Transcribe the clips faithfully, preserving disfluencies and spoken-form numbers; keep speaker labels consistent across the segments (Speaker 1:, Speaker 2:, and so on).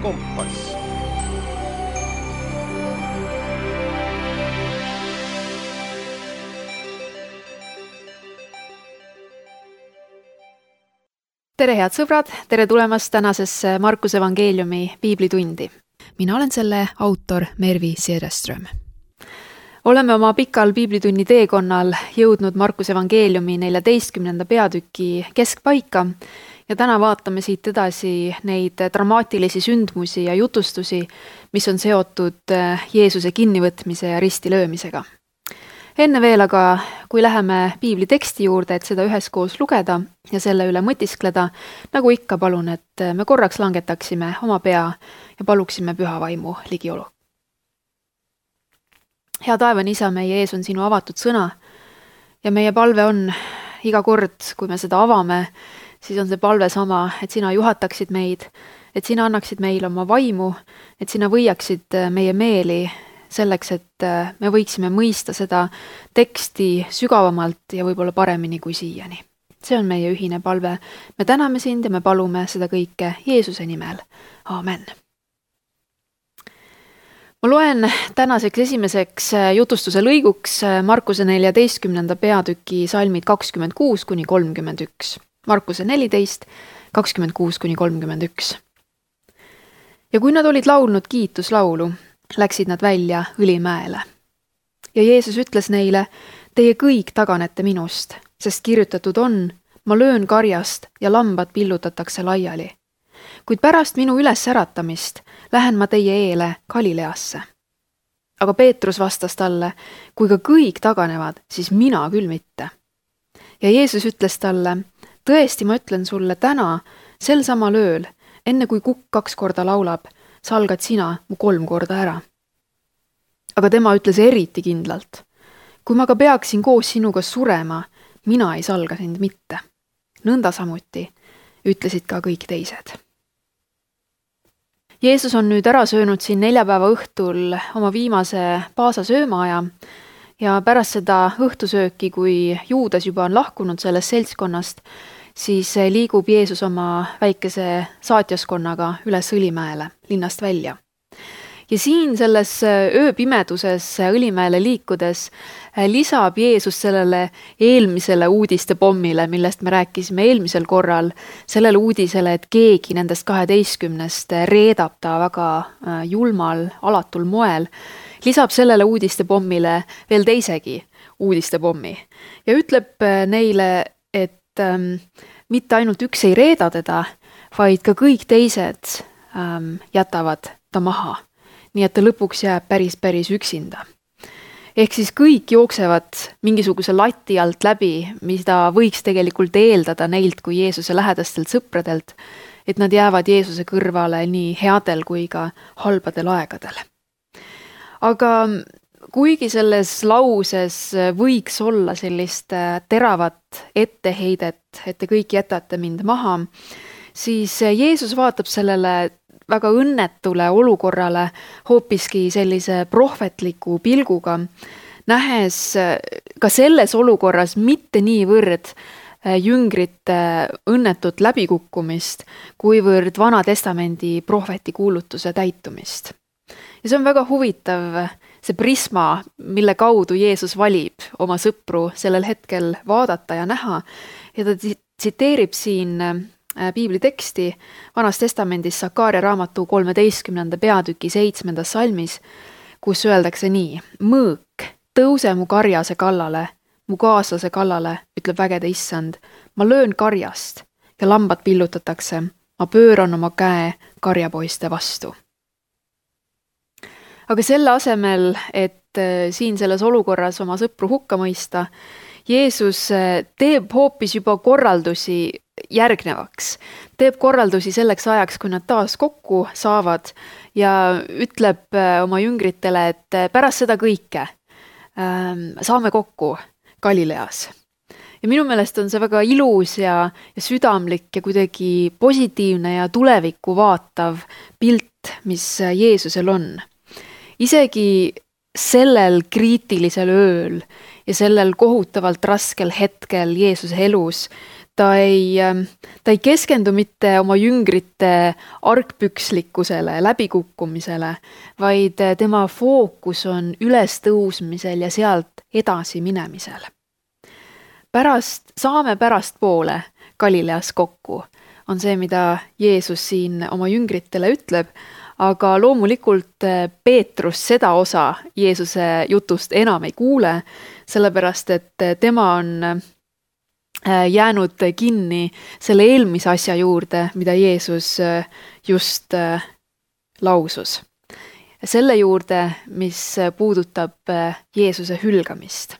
Speaker 1: kompass.
Speaker 2: Tere head sõbrad, tere tulemast tänasesse Markuse evangeeliumi piiblitundi. Mina olen selle autor Mervi Sederström. Oleme oma pikal piiblitunni teekonnal jõudnud Markuse evangeeliumi neljateistkümnenda peatüki keskpaika ja täna vaatame siit edasi neid dramaatilisi sündmusi ja jutustusi, mis on seotud Jeesuse kinnivõtmise ja ristilöömisega. Enne veel aga, kui läheme piibli teksti juurde, et seda üheskoos lugeda ja selle üle mõtiskleda, nagu ikka palun, et me korraks langetaksime oma pea ja paluksime püha vaimu ligiolu. Hea taevane isa, meie ees on sinu avatud sõna ja meie palve on iga kord, kui me seda avame, siis on see palve sama, et sina juhataksid meid, et sina annaksid meile oma vaimu, et sina võiaksid meie meeli selleks, et me võiksime mõista seda teksti sügavamalt ja võib-olla paremini kui siiani. See on meie ühine palve. Me täname sind ja me palume seda kõike Jeesuse nimel. Aamen. Ma loen tänaseks esimeseks jutustuse lõiguks Markuse neljateistkümnenda peatüki salmid kakskümmend kuus kuni kolmkümmend üks. Markuse neliteist, kakskümmend kuus kuni kolmkümmend üks. Ja kui nad olid laulnud kiituslaulu, läksid nad välja Õlimäele. Ja Jeesus ütles neile, teie kõik taganete minust, sest kirjutatud on, ma löön karjast ja lambad pillutatakse laiali. Kuid pärast minu üles äratamist lähen ma teie eele Galileasse. Aga Peetrus vastas talle, kui ka kõik taganevad, siis mina küll mitte. Ja Jeesus ütles talle, tõesti ma ütlen sulle täna, sel samal ööl, enne kui kukk kaks korda laulab, salgad sina mu kolm korda ära. Aga tema ütles eriti kindlalt, kui ma ka peaksin koos sinuga surema, mina ei salga sind mitte. Nõnda samuti ütlesid ka kõik teised. Jeesus on nüüd ära söönud siin neljapäeva õhtul oma viimase paasa söömaaja ja pärast seda õhtusööki, kui Juudas juba on lahkunud sellest seltskonnast, siis liigub Jeesus oma väikese saatjaskonnaga üles Õlimäele, linnast välja. Ja siin selles ööpimeduses Õlimäele liikudes lisab Jeesus sellele eelmisele uudiste pommile, millest me rääkisime eelmisel korral, sellele uudisele, et keegi nendest kaheteistkümnest reedab ta väga julmal, alatul moel, lisab sellele uudiste pommile veel teisegi uudiste pommi ja ütleb neile, et ähm, mitte ainult üks ei reeda teda, vaid ka kõik teised ähm, jätavad ta maha. Nii et ta lõpuks jääb päris päris üksinda. Ehk siis kõik jooksevad mingisuguse lati alt läbi, mida võiks tegelikult eeldada neilt kui Jeesuse lähedastelt sõpradelt, et nad jäävad Jeesuse kõrvale nii headel kui ka halbadel aegadel. Aga kuigi selles lauses võiks olla sellist teravat etteheidet, et te kõik jätate mind maha, siis Jeesus vaatab sellele väga õnnetule olukorrale hoopiski sellise prohvetliku pilguga, nähes ka selles olukorras mitte niivõrd jüngrite õnnetut läbikukkumist, kuivõrd Vana Testamendi prohveti kuulutuse täitumist. Ja see on väga huvitav, see prisma, mille kaudu Jeesus valib oma sõpru sellel hetkel vaadata ja näha, ja ta tsiteerib siin piibli teksti Vanas Testamendis Sakaaria raamatu kolmeteistkümnenda peatüki seitsmendas salmis, kus öeldakse nii, mõõk, tõuse mu karjase kallale, mu kaaslase kallale, ütleb vägede issand, ma löön karjast ja lambad pillutatakse, ma pööran oma käe karjapoiste vastu. Aga selle asemel, et siin selles olukorras oma sõpru hukka mõista, Jeesus teeb hoopis juba korraldusi järgnevaks. Teeb korraldusi selleks ajaks, kui nad taas kokku saavad ja ütleb oma jüngritele, et pärast seda kõike saame kokku Galileas. Ja minu meelest on see väga ilus ja, ja südamlik ja kuidagi positiivne ja tulevikku vaatav pilt, mis Jeesusel on. Isegi sellel kriitilisel ööl ja sellel kohutavalt raskel hetkel Jeesuse elus ta ei, ta ei keskendu mitte oma jüngrite argpükslikkusele, läbikukkumisele, vaid tema fookus on ülestõusmisel ja sealt edasi minemisel. Pärast, saame pärast poole Galileas kokku, on see, mida Jeesus siin oma jüngritele ütleb, aga loomulikult Peetrus seda osa Jeesuse jutust enam ei kuule, sellepärast et tema on jäänud kinni selle eelmise asja juurde, mida Jeesus just lausus. Selle juurde, mis puudutab Jeesuse hülgamist.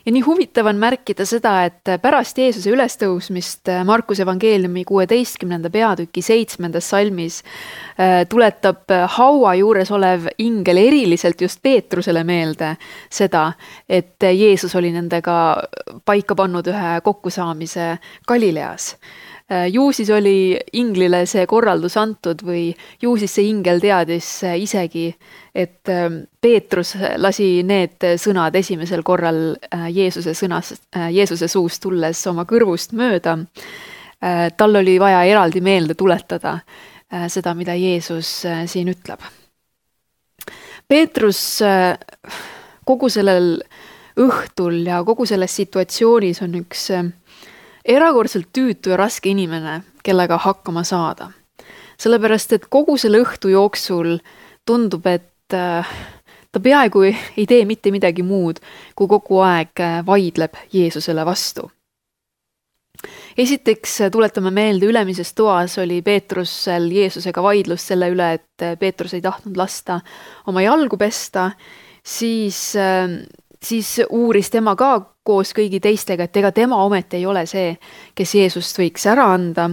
Speaker 2: Ja nii huvitav on märkida seda, et pärast Jeesuse ülestõusmist Markuse evangeeliumi kuueteistkümnenda peatüki seitsmendas salmis tuletab haua juures olev ingel eriliselt just Peetrusele meelde seda, et Jeesus oli nendega paika pannud ühe kokkusaamise Galileas. Ju siis oli inglile see korraldus antud või ju siis see ingel teadis isegi, et Peetrus lasi need sõnad esimesel korral Jeesuse, sõnas, Jeesuse suust tulles oma kõrvust mööda. Tal oli vaja eraldi meelde tuletada seda, mida Jeesus siin ütleb. Peetrus kogu sellel õhtul ja kogu selles situatsioonis on üks erakordselt tüütu ja raske inimene, kellega hakkama saada. Sellepärast, et kogu selle õhtu jooksul tundub, et ta peaaegu ei tee mitte midagi muud, kui kogu aeg vaidleb Jeesusele vastu. Esiteks tuletame meelde, ülemises toas oli Peetrusel Jeesusega vaidlus selle üle, et Peetrus ei tahtnud lasta oma jalgu pesta, siis, siis uuris tema ka koos kõigi teistega, et ega tema ometi ei ole see, kes Jeesust võiks ära anda.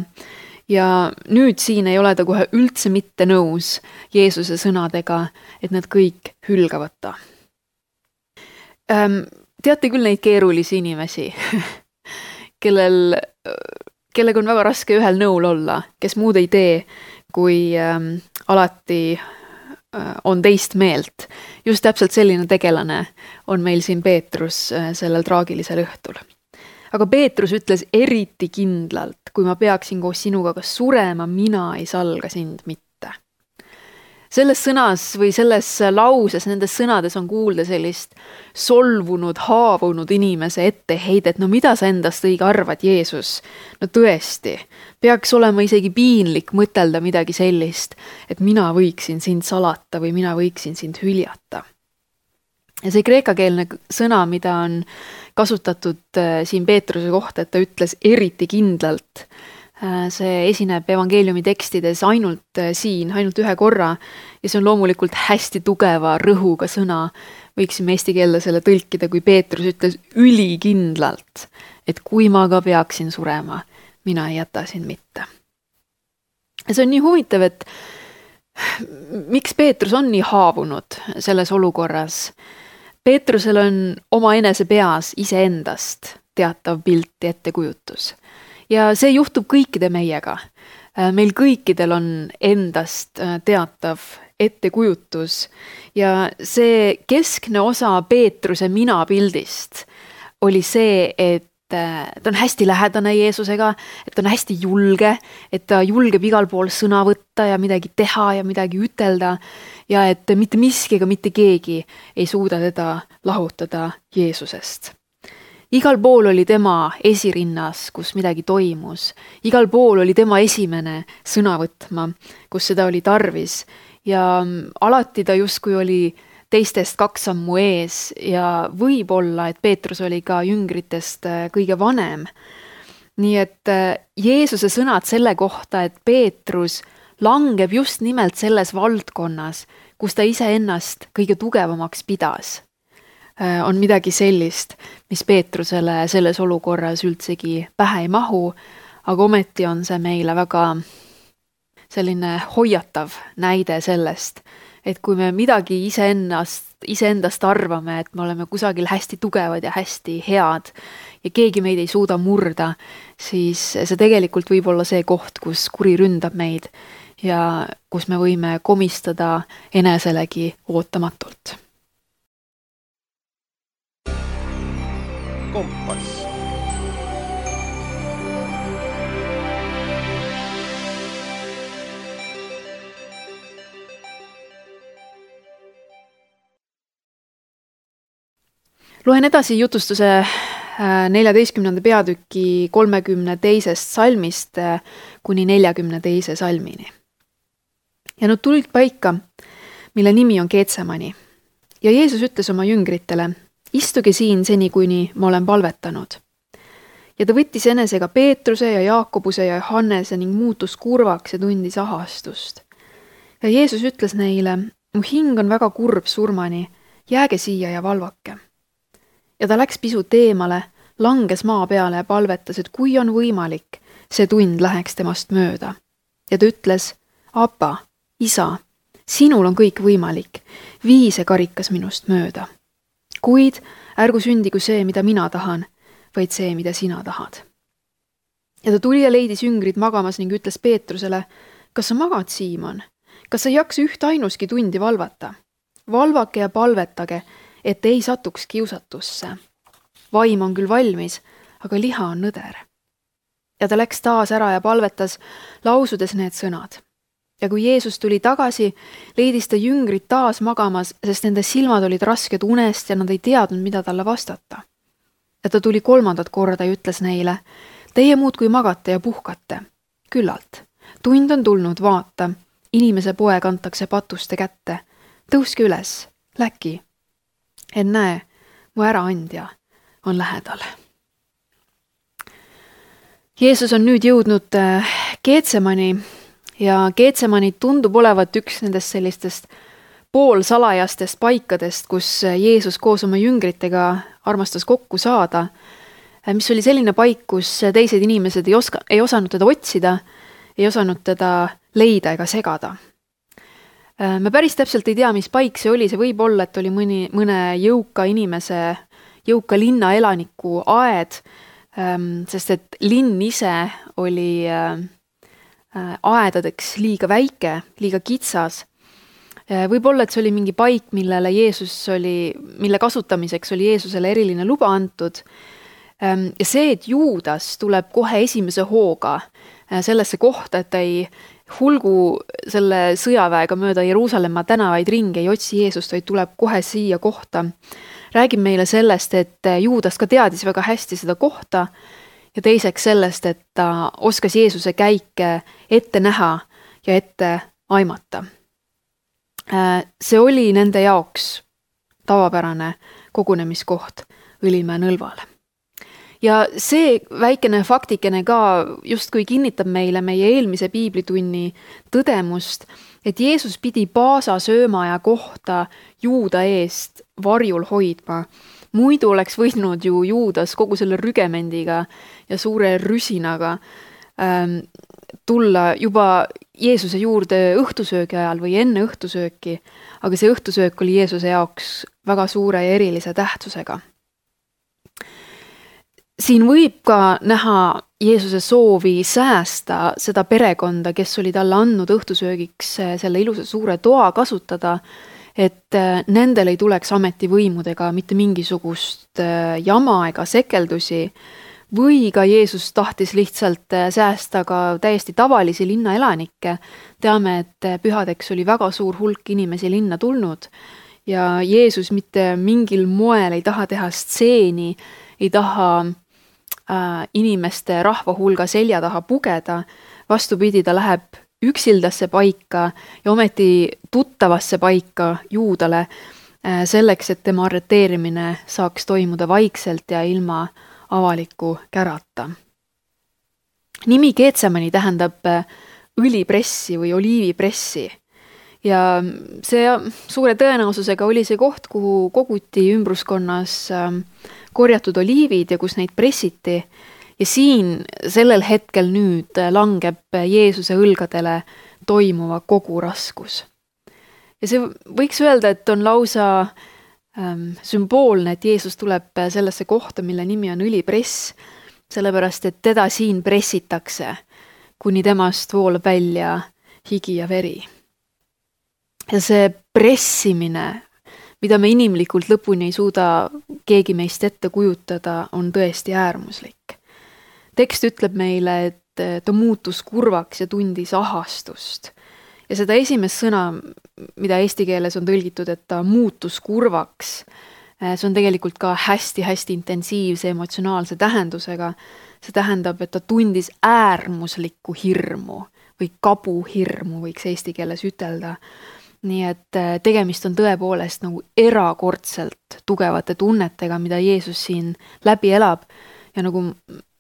Speaker 2: Ja nüüd siin ei ole ta kohe üldse mitte nõus Jeesuse sõnadega, et nad kõik hülgavad ta. Teate küll neid keerulisi inimesi, kellel, kellega on väga raske ühel nõul olla, kes muud ei tee, kui ähm, alati on teist meelt. Just täpselt selline tegelane on meil siin Peetrus sellel traagilisel õhtul. Aga Peetrus ütles eriti kindlalt, kui ma peaksin koos sinuga kas surema, mina ei salga sind mitte. Selles sõnas või selles lauses, nendes sõnades on kuulda sellist solvunud, haavunud inimese etteheidet. No mida sa endast õige arvad, Jeesus? No tõesti, peaks olema isegi piinlik mõtelda midagi sellist, et mina võiksin sind salata või mina võiksin sind hüljata. Ja see kreekakeelne sõna, mida on kasutatud siin Peetruse kohta, et ta ütles eriti kindlalt, see esineb evangeeliumi tekstides ainult siin, ainult ühe korra ja see on loomulikult hästi tugeva rõhuga sõna. Võiksime eesti keelde selle tõlkida, kui Peetrus ütles ülikindlalt, et kui ma ka peaksin surema, mina ei jäta sind mitte. Ja see on nii huvitav, et miks Peetrus on nii haavunud selles olukorras? Peetrusel on oma enese peas iseendast teatav pilti ettekujutus. Ja see juhtub kõikide meiega. Meil kõikidel on endast teatav ettekujutus ja see keskne osa Peetruse mina pildist oli see, et ta on hästi lähedane Jeesusega, et ta on hästi julge, et ta julgeb igal pool sõna võtta ja midagi teha ja midagi ütelda ja et mitte miski ega mitte keegi ei suuda teda lahutada Jeesusest. Igal pool oli tema esirinnas, kus midagi toimus. Igal pool oli tema esimene sõna võtma, kus seda oli tarvis. Ja alati ta justkui oli teistest kaks sammu ees ja võib-olla, et Peetrus oli ka jüngritest kõige vanem. Nii et Jeesuse sõnad selle kohta, et Peetrus langeb just nimelt selles valdkonnas, kus ta ise ennast kõige tugevamaks pidas, on midagi sellist, mis Peetrusele selles olukorras üldsegi pähe ei mahu, aga ometi on see meile väga selline hoiatav näide sellest, et kui me midagi iseennast, iseendast arvame, et me oleme kusagil hästi tugevad ja hästi head ja keegi meid ei suuda murda, siis see tegelikult võib olla see koht, kus kuri ründab meid ja kus me võime komistada eneselegi ootamatult.
Speaker 1: Kompass.
Speaker 2: Loen edasi jutustuse neljateistkümnenda peatüki kolmekümne teisest salmist kuni neljakümne teise salmini. Ja nad tulid paika, mille nimi on Getsemani. Ja Jeesus ütles oma jüngritele, istuge siin seni, kuni ma olen palvetanud. Ja ta võttis enesega Peetruse ja Jaakobuse ja Johannese ning muutus kurvaks ja tundis ahastust. Ja Jeesus ütles neile, mu hing on väga kurb surmani, jääge siia ja valvake. Ja ta läks pisut eemale, langes maa peale ja palvetas, et kui on võimalik, see tund läheks temast mööda. Ja ta ütles, Apa, isa, sinul on kõik võimalik, vii see karikas minust mööda. Kuid ärgu sündigu see, mida mina tahan, vaid see, mida sina tahad. Ja ta tuli ja leidis jüngrid magamas ning ütles Peetrusele, kas sa magad, Siimon? Kas sa ei jaksa üht ainuski tundi valvata? Valvake ja palvetage, et ei satuks kiusatusse. Vaim on küll valmis, aga liha on nõder. Ja ta läks taas ära ja palvetas, lausudes need sõnad. Ja kui Jeesus tuli tagasi, leidis ta jüngrid taas magamas, sest nende silmad olid rasked unest ja nad ei teadnud, mida talle vastata. Ja ta tuli kolmandat korda ja ütles neile, teie muudkui magate ja puhkate. Küllalt, tund on tulnud, vaata, inimese poeg antakse patuste kätte. Tõuske üles, läki. Et näe, mu äraandja on lähedal. Jeesus on nüüd jõudnud Getsemani ja Getsemani tundub olevat üks nendest sellistest poolsalajastest paikadest, kus Jeesus koos oma jüngritega armastas kokku saada, mis oli selline paik, kus teised inimesed ei, oska, ei osanud teda otsida, ei osanud teda leida ega segada. Me päris täpselt ei tea, mis paik see oli, see võib olla, et oli mõni, mõne jõuka inimese, jõuka linna elaniku aed, sest et linn ise oli aedadeks liiga väike, liiga kitsas. Võib-olla, et see oli mingi paik, millele Jeesus oli, mille kasutamiseks oli Jeesusele eriline luba antud. Ja see, et Juudas tuleb kohe esimese hooga sellesse kohta, et ta ei hulgu selle sõjaväega mööda Jeruusalemma tänavaid ringi, ei otsi Jeesust, vaid tuleb kohe siia kohta. Räägib meile sellest, et Juudas ka teadis väga hästi seda kohta ja teiseks sellest, et ta oskas Jeesuse käike ette näha ja ette aimata. See oli nende jaoks tavapärane kogunemiskoht Õlimäe nõlvale. Ja see väikene faktikene ka justkui kinnitab meile meie eelmise piiblitunni tõdemust, et Jeesus pidi Paasa söömaja kohta Juuda eest varjul hoidma. Muidu oleks võinud ju Juudas kogu selle rügemendiga ja suure rüsinaga ähm, tulla juba Jeesuse juurde õhtusöögi ajal või enne õhtusööki, aga see õhtusöök oli Jeesuse jaoks väga suure ja erilise tähtsusega. Siin võib ka näha Jeesuse soovi säästa seda perekonda, kes oli talle andnud õhtusöögiks selle ilusa suure toa kasutada, et nendel ei tuleks ametivõimudega mitte mingisugust jama ega sekeldusi, või ka Jeesus tahtis lihtsalt säästa ka täiesti tavalisi linnaelanikke. Teame, et pühadeks oli väga suur hulk inimesi linna tulnud ja Jeesus mitte mingil moel ei taha teha stseeni, ei taha äh, inimeste rahva hulga selja taha pugeda. Vastupidi, ta läheb üksildasse paika ja ometi tuttavasse paika Juudale äh, selleks, et tema arreteerimine saaks toimuda vaikselt ja ilma avaliku kärata. Nimi Getsemani tähendab õlipressi või oliivipressi ja see suure tõenäosusega oli see koht, kuhu koguti ümbruskonnas korjatud oliivid ja kus neid pressiti ja siin sellel hetkel nüüd langeb Jeesuse õlgadele toimuva kogu raskus. Ja see võiks öelda, et on lausa sümboolne, et Jeesus tuleb sellesse kohta, mille nimi on õlipress, sellepärast, et teda siin pressitakse, kuni temast voolab välja higi ja veri. Ja see pressimine, mida me inimlikult lõpuni ei suuda keegi meist ette kujutada, on tõesti äärmuslik. Tekst ütleb meile, et ta muutus kurvaks ja tundis ahastust. Ja seda esimest sõna, mida eesti keeles on tõlgitud, et ta muutus kurvaks, see on tegelikult ka hästi-hästi intensiivse emotsionaalse tähendusega. See tähendab, et ta tundis äärmuslikku hirmu või kabuhirmu, võiks eesti keeles ütelda. Nii et tegemist on tõepoolest nagu erakordselt tugevate tunnetega, mida Jeesus siin läbi elab ja nagu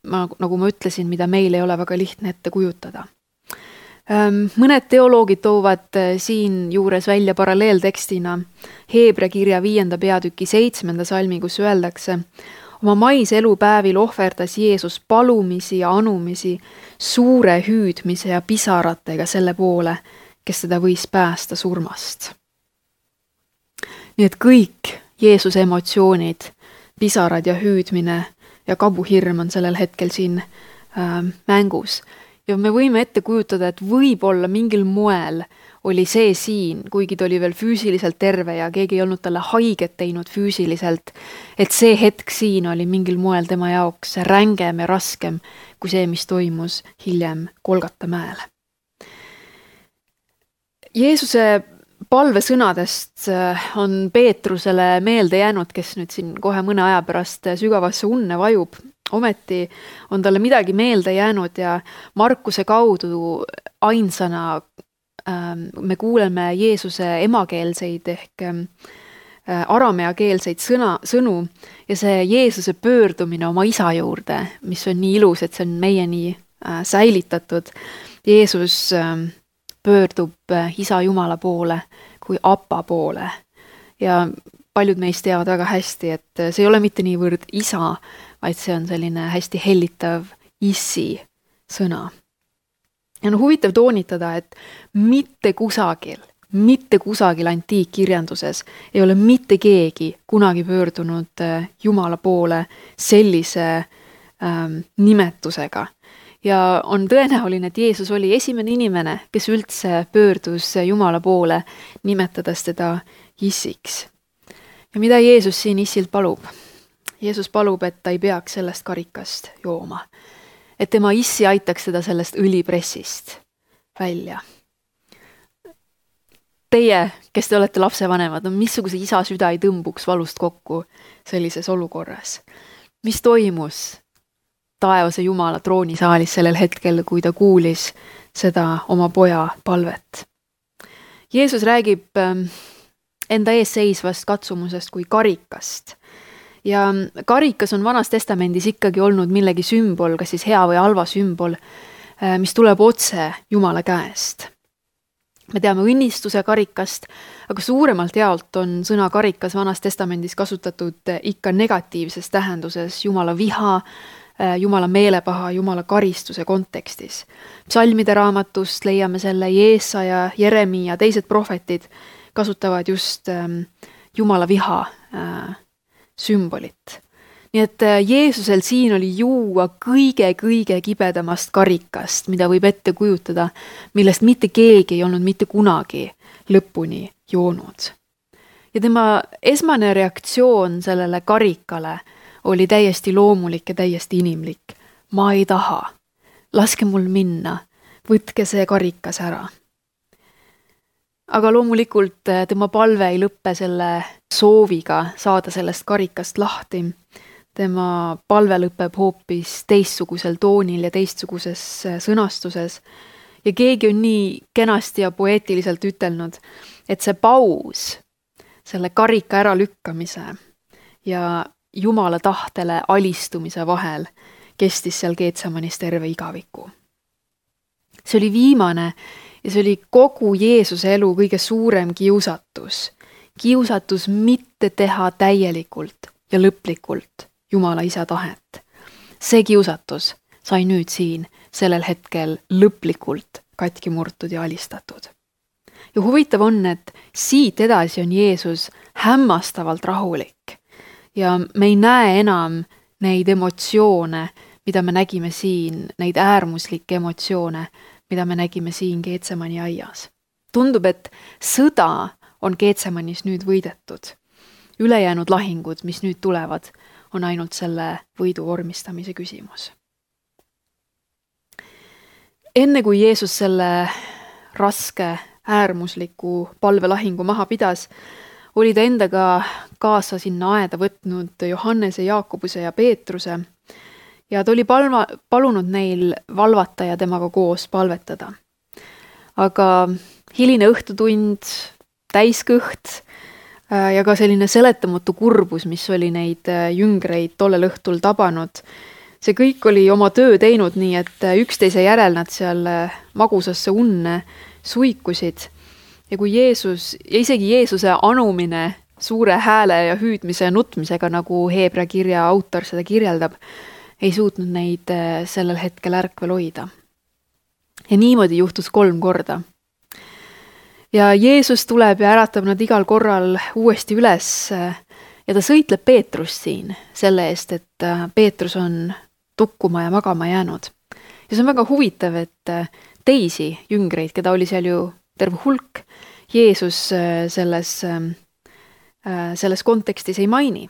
Speaker 2: ma, nagu ma ütlesin, mida meil ei ole väga lihtne ette kujutada. Mõned teoloogid toovad siin juures välja paralleeltekstina Heebra kirja viienda peatüki seitsmenda salmi, kus öeldakse: oma mais elupäevil ohverdas Jeesus palumisi ja anumisi suure hüüdmise ja pisaratega selle poole, kes teda võis päästa surmast. Nii et kõik Jeesuse emotsioonid, pisarad ja hüüdmine ja kabuhirm on sellel hetkel siin äh, mängus. Ja me võime ette kujutada, et võib-olla mingil moel oli see siin, kuigi ta oli veel füüsiliselt terve ja keegi ei olnud talle haiget teinud füüsiliselt, et see hetk siin oli mingil moel tema jaoks rängem ja raskem kui see, mis toimus hiljem Golgata mäel. Jeesuse palvesõnadest on Peetrusele meelde jäänud, kes nüüd siin kohe mõne aja pärast sügavasse unne vajub. Ometi on talle midagi meelde jäänud ja Markuse kaudu ainsana ähm, me kuuleme Jeesuse emakeelseid ehk ähm, arameakeelseid sõna, sõnu ja see Jeesuse pöördumine oma isa juurde, mis on nii ilus, et see on meieni äh, säilitatud. Jeesus ähm, pöördub äh, isa Jumala poole kui Appa poole ja paljud meist teavad väga hästi, et see ei ole mitte niivõrd isa, vaid see on selline hästi hellitav issi sõna. Ja on huvitav toonitada, et mitte kusagil, mitte kusagil antiikkirjanduses ei ole mitte keegi kunagi pöördunud Jumala poole sellise ähm, nimetusega. Ja on tõenäoline, et Jeesus oli esimene inimene, kes üldse pöördus Jumala poole, nimetades teda issiks. Ja mida Jeesus siin issilt palub? Jeesus palub, et ta ei peaks sellest karikast jooma. Et tema issi aitaks seda sellest õlipressist välja. Teie, kes te olete lapsevanemad, no missuguse isa süda ei tõmbuks valust kokku sellises olukorras? Mis toimus taevase Jumala troonisaalis sellel hetkel, kui ta kuulis seda oma poja palvet? Jeesus räägib enda ees seisvast katsumusest kui karikast. Ja karikas on Vanas Testamendis ikkagi olnud millegi sümbol, kas siis hea või halva sümbol, mis tuleb otse Jumala käest. Me teame õnnistuse karikast, aga suuremalt jaolt on sõna karikas Vanas Testamendis kasutatud ikka negatiivses tähenduses Jumala viha, Jumala meelepaha, Jumala karistuse kontekstis. Psalmide raamatust leiame selle Jeesaja, Jeremia ja teised prohvetid kasutavad just Jumala viha sümbolit. Nii et Jeesusel siin oli juua kõige-kõige kibedamast karikast, mida võib ette kujutada, millest mitte keegi ei olnud mitte kunagi lõpuni joonud. Ja tema esmane reaktsioon sellele karikale oli täiesti loomulik ja täiesti inimlik. Ma ei taha. Laske mul minna. Võtke see karikas ära. Aga loomulikult tema palve ei lõppe selle sooviga saada sellest karikast lahti. Tema palve lõpeb hoopis teistsugusel toonil ja teistsuguses sõnastuses. Ja keegi on nii kenasti ja poeetiliselt ütelnud, et see paus, selle karika ära lükkamise ja Jumala tahtele alistumise vahel kestis seal Geetsemanis terve igaviku. See oli viimane ja see oli kogu Jeesuse elu kõige suurem kiusatus. Kiusatus mitte teha täielikult ja lõplikult Jumala isa tahet. See kiusatus sai nüüd siin sellel hetkel lõplikult katki murtud ja alistatud. Ja huvitav on, et siit edasi on Jeesus hämmastavalt rahulik. Ja me ei näe enam neid emotsioone, mida me nägime siin, neid äärmuslikke emotsioone, mida me nägime siin Geetsemani aias. Tundub, et sõda on Geetsemanis nüüd võidetud. Ülejäänud lahingud, mis nüüd tulevad, on ainult selle võidu vormistamise küsimus. Enne kui Jeesus selle raske äärmusliku palvelahingu maha pidas, oli ta endaga kaasa sinna aeda võtnud Johannese, Jaakobuse ja Peetruse ja ta oli palma, palunud neil valvata ja temaga koos palvetada. Aga hiline õhtutund, täiskõht ja ka selline seletamatu kurbus, mis oli neid jüngreid tollel õhtul tabanud, see kõik oli oma töö teinud nii, et üksteise järel nad seal magusasse unne suikusid. Ja kui Jeesus, ja isegi Jeesuse anumine suure hääle ja hüüdmise ja nutmisega, nagu Heebra kirja autor seda kirjeldab, ei suutnud neid sellel hetkel ärkvel hoida. Ja niimoodi juhtus kolm korda. Ja Jeesus tuleb ja äratab nad igal korral uuesti üles ja ta sõitleb Peetrust siin selle eest, et Peetrus on tukkuma ja magama jäänud. Ja see on väga huvitav, et teisi jüngreid, keda oli seal ju terve hulk, Jeesus selles, selles kontekstis ei maini.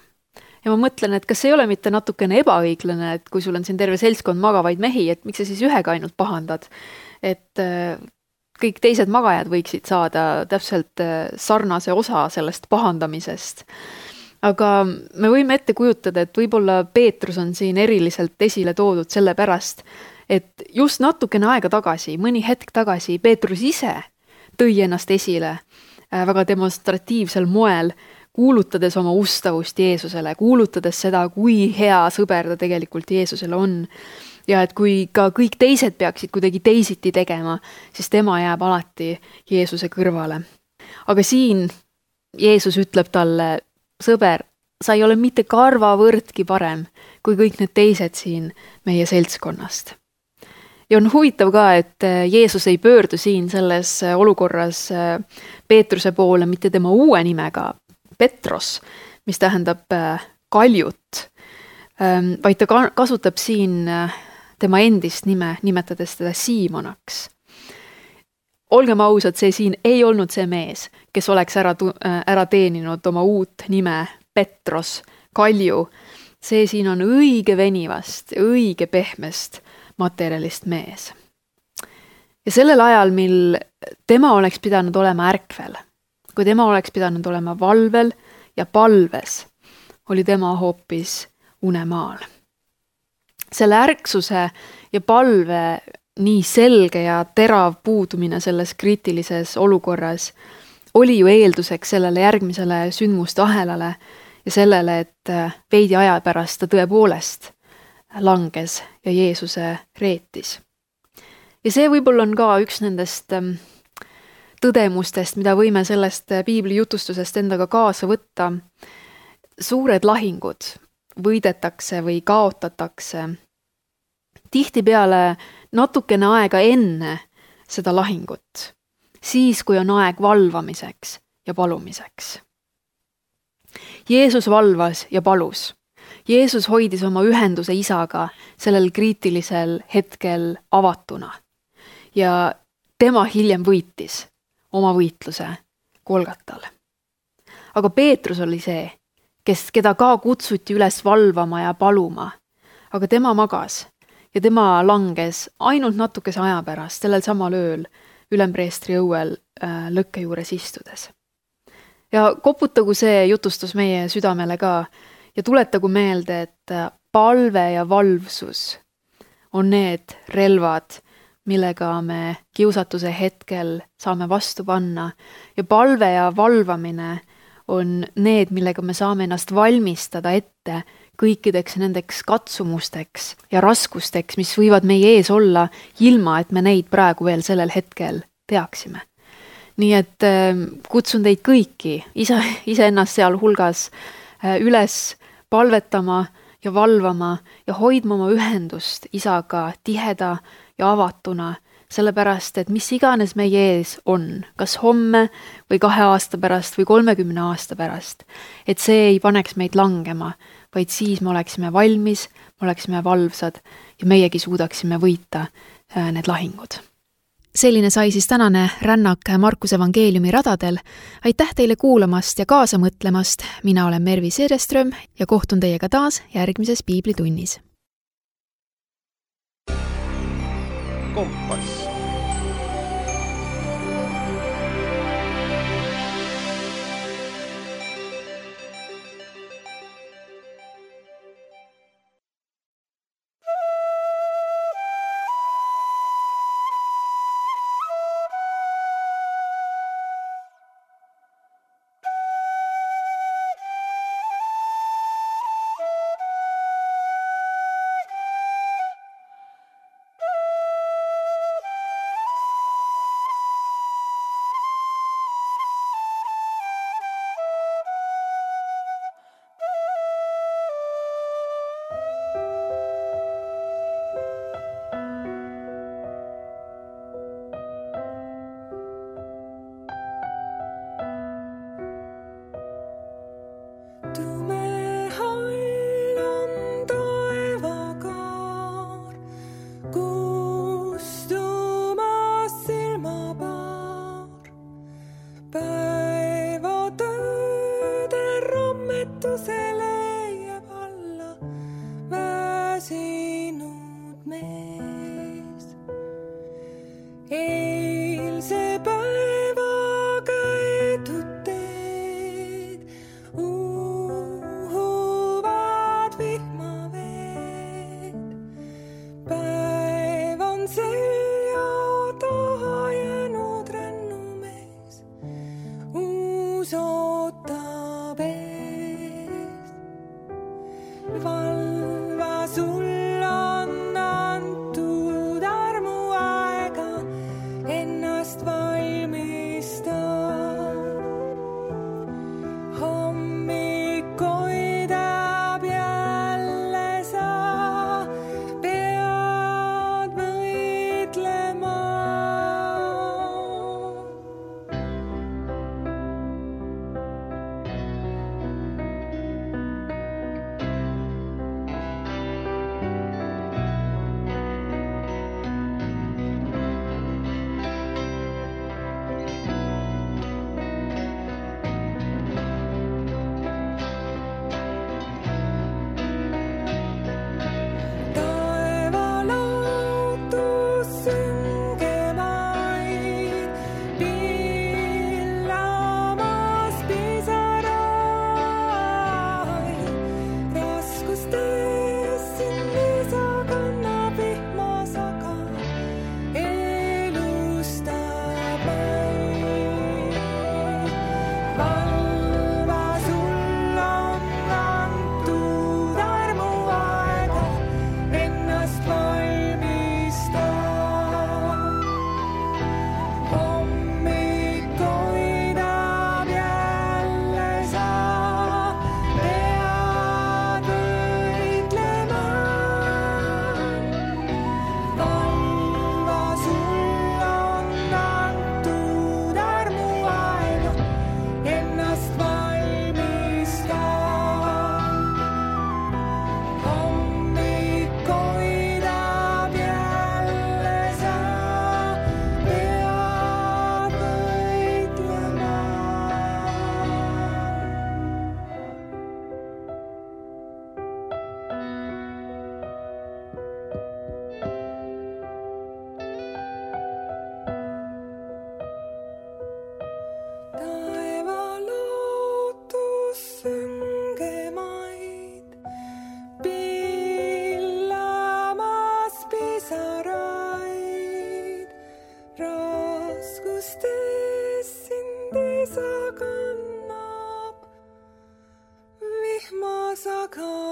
Speaker 2: Ja ma mõtlen, et kas ei ole mitte natukene ebaõiglane, et kui sul on siin terve seltskond magavaid mehi, et miks sa siis ühega ainult pahandad, et kõik teised magajad võiksid saada täpselt sarnase osa sellest pahandamisest. Aga me võime ette kujutada, et võib-olla Peetrus on siin eriliselt esile toodud selle pärast, et just natukene aega tagasi, mõni hetk tagasi, Peetrus ise tõi ennast esile väga demonstratiivsel moel, kuulutades oma ustavust Jeesusele, kuulutades seda, kui hea sõber ta tegelikult Jeesusele on. Ja et kui ka kõik teised peaksid kuidagi teisiti tegema, siis tema jääb alati Jeesuse kõrvale. Aga siin Jeesus ütleb talle, sõber, sa ei ole mitte karvavõrdki parem kui kõik need teised siin meie seltskonnast. Ja on huvitav ka, et Jeesus ei pöördu siin selles olukorras Peetruse poole mitte tema uue nimega, Petros, mis tähendab kaljut, vaid ta kasutab siin tema endist nime, nimetades teda Siimonaks. Olgem ausad, see siin ei olnud see mees, kes oleks ära, ära teeninud oma uut nime Petros, kalju. See siin on õige venivast, õige pehmest materjalist mees. Ja sellel ajal, mil tema oleks pidanud olema ärkvel, kui tema oleks pidanud olema valvel ja palves, oli tema hoopis unemaal. Selle ärksuse ja palve nii selge ja terav puudumine selles kriitilises olukorras oli ju eelduseks sellele järgmisele sündmuste ahelale ja sellele, et veidi aja pärast ta tõepoolest langes ja Jeesuse reetis. Ja see võib-olla on ka üks nendest tõdemustest, mida võime sellest piibli jutustusest endaga kaasa võtta. Suured lahingud võidetakse või kaotatakse tihtipeale natukene aega enne seda lahingut, siis kui on aeg valvamiseks ja palumiseks. Jeesus valvas ja palus. Jeesus hoidis oma ühenduse isaga sellel kriitilisel hetkel avatuna ja tema hiljem võitis oma võitluse Golgatal. Aga Peetrus oli see, kes, keda ka kutsuti üles valvama ja paluma, aga tema magas ja tema langes ainult natukese aja pärast sellel samal ööl ülempreestri õuel äh, lõkke juures istudes. Ja koputagu see jutustus meie südamele ka ja tuletagu meelde, et palve ja valvsus on need relvad, millega me kiusatuse hetkel saame vastu panna ja palve ja valvamine on need, millega me saame ennast valmistada ette kõikideks nendeks katsumusteks ja raskusteks, mis võivad meie ees olla, ilma et me neid praegu veel sellel hetkel teaksime. Nii et kutsun teid kõiki, ise, ise ennast seal hulgas üles palvetama ja valvama ja hoidma oma ühendust isaga tiheda ja avatuna, sellepärast, et mis iganes meie ees on, kas homme või kahe aasta pärast või kolmekümne aasta pärast, et see ei paneks meid langema, vaid siis me oleksime valmis, me oleksime valvsad ja meiegi suudaksime võita need lahingud.
Speaker 1: Selline sai siis tänane rännak Markuse evangeeliumi radadel. Aitäh teile kuulamast ja kaasa mõtlemast. Mina olen Mervi Sereström ja kohtun teiega taas järgmises piiblitunnis.
Speaker 3: Kompass. ennast valmistab. Hommik hoidab jälle sa pead võitlema. Kannab vihmasaga